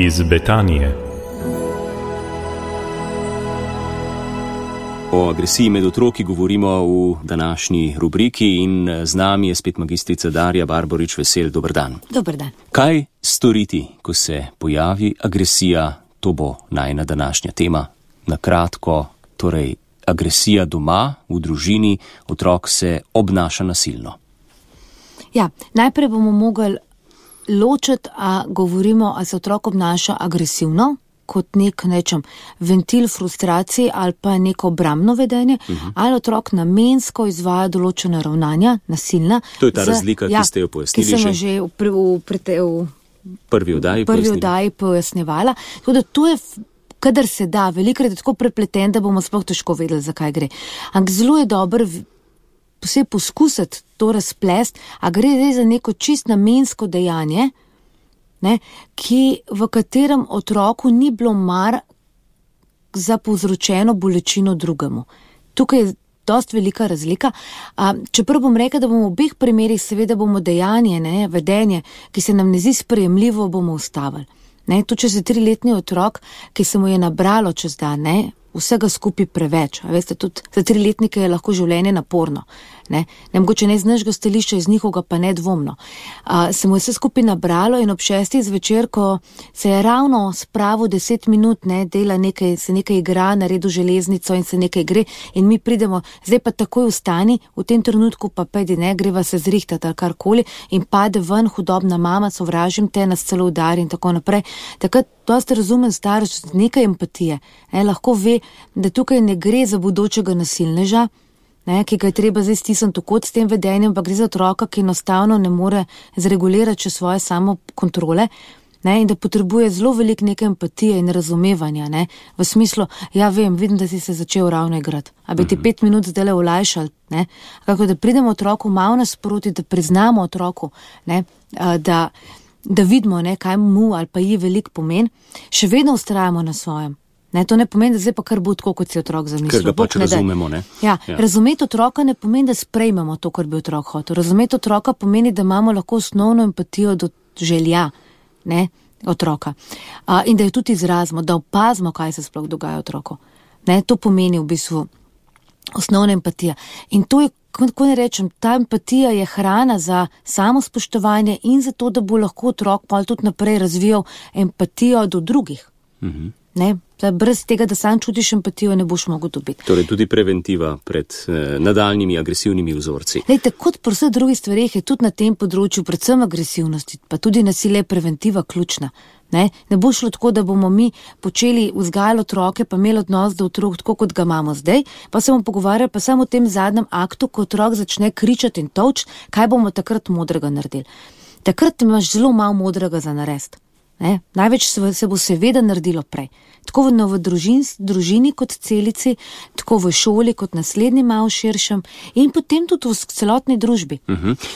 iz Betanije. O agresiji med otroki govorimo v današnji rubriki in z nami je spet magistrica Darja Barborič Vesel. Dober dan. Dober dan. Kaj storiti, ko se pojavi agresija? To bo najina današnja tema. Na kratko, torej agresija doma, v družini, otrok se obnaša nasilno. Ja, najprej bomo mogli ločiti, a govorimo, a se otrok obnaša agresivno, kot nek, ventil frustracij ali pa neko obrambno vedenje, ali otrok namensko izvaja določena ravnanja, nasilna. To je ta razlika, ki ste jo pojasnili že. Ki sem jo že v prvi oddaji pojasnevala. Tudi to je, kadar se da, velikrat je tako prepleten, da bomo sploh težko vedeli, zakaj gre. Ampak zelo je dobro vse poskusiti to razplest, a gre res za neko čist namensko dejanje, v katerem otroku ni bilo mar za povzročeno bolečino drugemu. Tukaj je dosti velika razlika. Čeprav bom rekel, da bomo v obeh primerih seveda bomo dejanje, vedenje, ki se nam ne zdi sprejemljivo, bomo ustavili. Tu če se 3-letni otrok, ki se mu je nabralo čez dan, vsega skupaj preveč. A veste, tudi za 3-letnike je lahko življenje naporno. Mogoče ne iz našega stališča, iz njihovega pa nedvomno. Se mu je vse skupaj nabralo in ob 6. zvečer, ko se je ravno spravil 10 minut, dela nekaj, se nekaj igra, naredi železnico in se nekaj gre in mi pridemo, zdaj pa takoj vstani, v tem trenutku pa pejdi, greva se zrihtati ali karkoli in pade ven hudobna mama, sovražim te, nas celo udari in tako naprej. Takrat dosti razumen starš, nekaj empatije, lahko ve, da tukaj ne gre za bodočega nasilneža, ki ga je treba zdaj stisniti v kot s tem vedenjem, pa gre za otroka, ki enostavno ne more zregulirati še svoje samokontrole, in da potrebuje zelo veliko neke empatije in razumevanja, v smislu, ja vem, vidim, da si se začel ravno igrati, a bi ti 5 minut zdaj olajšal, kako da pridemo otroku malo nasproti, da priznamo otroku, da vidimo, kaj mu ali pa ji veliko pomen, še vedno vztrajamo na svojem. To ne pomeni, da zdaj pa kar bo tako, kot si otrok zamislil. Ker ga pač razumemo, Ja. Razumeti otroka ne pomeni, da sprejmemo to, kar bi otrok hotel. Razumeti otroka pomeni, da imamo lahko osnovno empatijo do želja, otroka. In da jo tudi izrazimo, da opazimo, kaj se sploh dogaja otroku. To pomeni v bistvu osnovna empatija. In to je, kako ne rečem, ta empatija je hrana za samospoštovanje in za to, da bo lahko otrok pa tudi naprej razvijal empatijo do drugih. Brez tega, da sam čutiš empatijo, ne boš mogel dobiti. Torej tudi preventiva pred nadaljnimi agresivnimi vzorci. Kot pri vseh drugih stvareh je tudi na tem področju, predvsem agresivnosti, pa tudi nasilje, preventiva ključna. Ne bo šlo tako, da bomo mi počeli vzgajati otroke, pa imeli odnos do otrok tako, kot ga imamo zdaj, pa se bomo pogovarjali pa samo o tem zadnjem aktu, ko otrok začne kričati in tolči, kaj bomo takrat modrega naredili. Takrat imaš zelo malo modrega za narediti. Največ se bo seveda naredilo prej. Tako v družini kot celici, tako v šoli kot naslednji malo širšem in potem tudi v celotni družbi.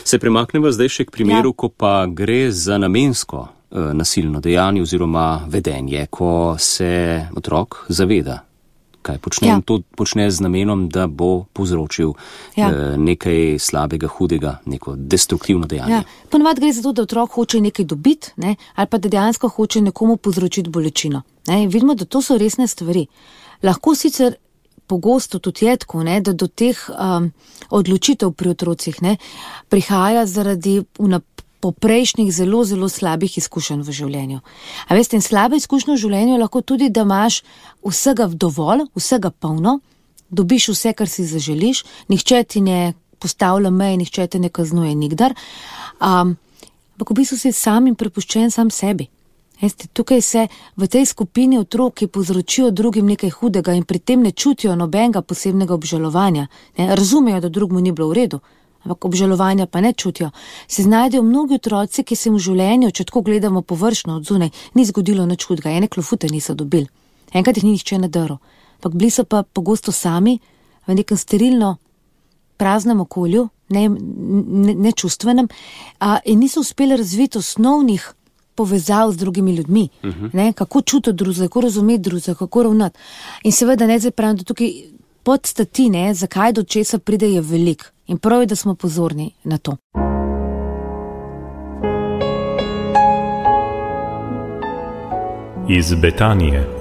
Se premaknemo zdaj še k primeru, ko pa gre za namensko nasilno dejanje oziroma vedenje, ko se otrok zaveda, kaj počne in to počne z namenom, da bo povzročil nekaj slabega, hudega, neko destruktivno dejanje. Ponavadi gre za to, da otrok hoče nekaj dobiti, ali pa da dejansko hoče nekomu povzročiti bolečino. Vidimo, da to so resne stvari. Lahko sicer pogosto tudi je tako, da do teh odločitev pri otrocih prihaja zaradi poprejšnjih zelo, zelo slabih izkušenj v življenju. A veste, in slabe izkušnje v življenju je lahko tudi, da imaš vsega dovolj, vsega polno, dobiš vse, kar si zaželiš, nihče ti ne postavlja meje, nihče te ne kaznuje nikdar, ampak v bistvu si sam in prepuščen sam sebi. Tukaj se v tej skupini otrok, ki povzročijo drugim nekaj hudega in pri tem ne čutijo nobenega posebnega obžalovanja, razumejo, da drugmu ni bilo v redu, ampak obžalovanja pa ne čutijo, se znajdejo mnogi otroci, ki se v življenju, če tako gledamo površno od zunaj, ni zgodilo nič hudega, ene klofute niso dobili. Enkrat jih ni nihče nadaril, ampak bili so pa pogosto sami v nekem sterilno praznem okolju, nečustvenem, in niso uspeli razviti osnovnih povezav z drugimi ljudmi, kako čutiti drugega, kako razumeti drugega, kako ravnati. In seveda zdaj pravim, da tukaj podstati, zakaj do česa pride, je velik. In prav je, da smo pozorni na to. iz Betanije.